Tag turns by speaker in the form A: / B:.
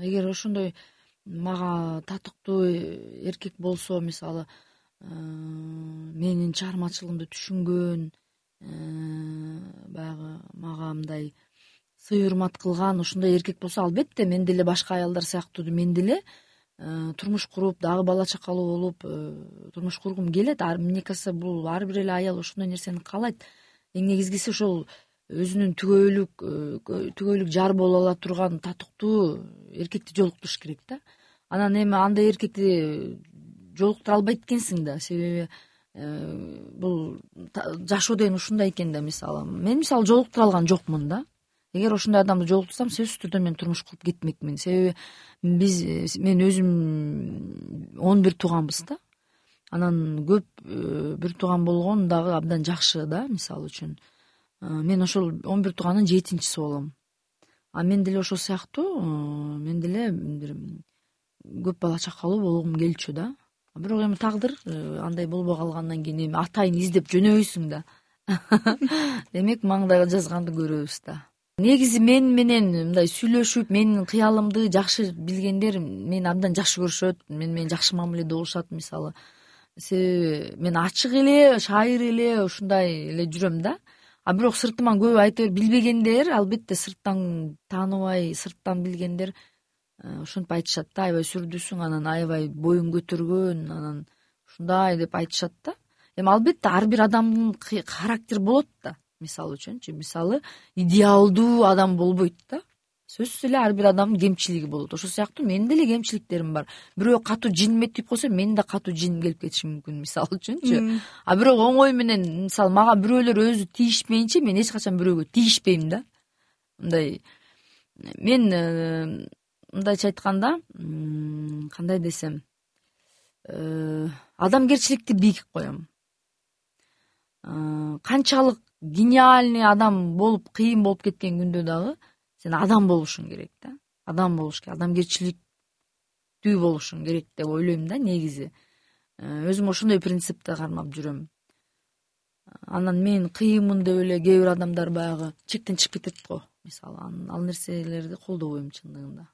A: эгер ошондой мага татыктуу эркек болсо, мисалы менин чыгармачылыгымды түшүнгөн, баягы мага мындай сый урмат кылган ошондой эркек болсо, албетте мен деле башка аялдар сыяктуу мен деле турмуш куруп, дагы бала чакалуу болуп турмуш кургум келет. Мне кажется, бул ар бир эле аял ошондой нерсени каалайт. Эң негизгиси ошол өзүнүн түгөйлүк жар боло ала турган татыктуу эркекти жолуктуруш керек да. Анан эми андай эркекти жолуктура албайт экенсиң да, себеби бул жашоо деген ушундай экен да. Мисалы мен жолуктура алган жокмун да. Эгер ошондой адамды жолуктурсам, сөзсүз түрдө мен турмуш куруп кетмекмин. Себеби мен өзүм 11 тууганбыз да. Анан көп бир тууган болгон дагы абдан жакшы да. Мисалы үчүн мен ошол 11 туугандын 7-чиси болом. А мен деле ошол сыяктуу мен деле көп бала чакалуу болгум келчү да. Бирок эми тагдыр андай болбой калгандан кийин эми атайын издеп жөнөбөйсүң да. Демек маңдайга жазганды көрөбүз да. Негизи мен менен мындай сүйлөшүп, менин кыялымды жакшы билгендер мени абдан жакшы көрүшөт, менен жакшы мамиледе болушат. Мисалы себеби мен ачык эле, шайыр эле ушундай эле жүрөм да. А бирок сыртыман көп айтып билбегендер, албетте сырттан тааныбай, сырттан билгендер ошентип айтышат да, аябай сүрдүүсүң, анан аябай боюң көтөргөн, анан ушундай деп айтышат да. Эми албетте ар бир адамдын характери болот да. Мисалы үчүнчү, мисалы идеалдуу адам болбойт да. Сөзсүз эле ар бир адамдын кемчилиги болот. Ошол сыяктуу менин деле кемчиликтерим бар. Бирөө катуу жинме тип койсо, менин да катуу жин келип кетиши мүмкүн, мисалы үчүнчү. А бирок оңой менен, мисалы мага бирөөлөр өзү тийишмейинче мен эч качан бирөөгө тийишпейм да. Мындай мен мындайча айтканда, кандай десем, адамгерчиликти бийик коем. Канчалык гениальный адам болуп, кыйын болуп кеткен күндө дагы сен адам болушуң керек да. Адам болуш керек, адамгерчиликтүү болушуң керек деп ойлойм да негизи. Өзүм ошондой принципти кармап жүрөм. Анан мен кыйынмын деп эле кээ бир адамдар баягы чектен чыгып кетет го. Мисалы ал нерселерди колдобойм чындыгында.